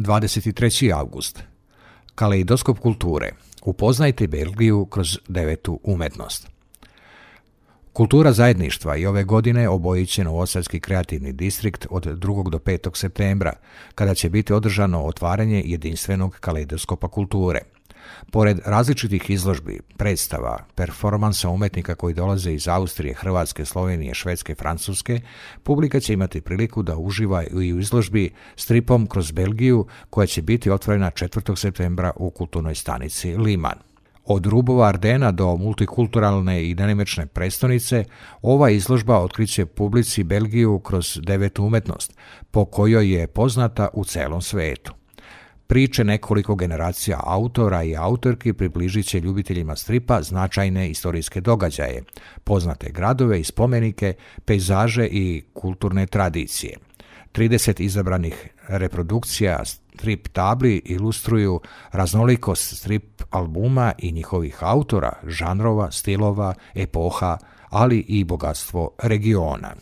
23. august. Kaleidoskop kulture. Upoznajte Belgiju kroz devetu umetnost. Kultura zajedništva i ove godine obojit će Novosadski kreativni distrikt od 2. do 5. septembra, kada će biti održano otvaranje jedinstvenog kaleidoskopa kulture. Pored različitih izložbi, predstava, performansa umetnika koji dolaze iz Austrije, Hrvatske, Slovenije, Švedske, Francuske, publika će imati priliku da uživa i u izložbi Stripom kroz Belgiju, koja će biti otvorena 4. septembra u kulturnoj stanici Liman. Od rubova Ardena do multikulturalne i dinamične prestonice, ova izložba otkriće publici Belgiju kroz devetu umetnost, po kojoj je poznata u celom svetu. Priče nekoliko generacija autora i autorki približit će ljubiteljima stripa značajne istorijske događaje, poznate gradove i spomenike, pejzaže i kulturne tradicije. 30 izabranih reprodukcija strip tabli ilustruju raznolikost strip albuma i njihovih autora, žanrova, stilova, epoha, ali i bogatstvo regiona.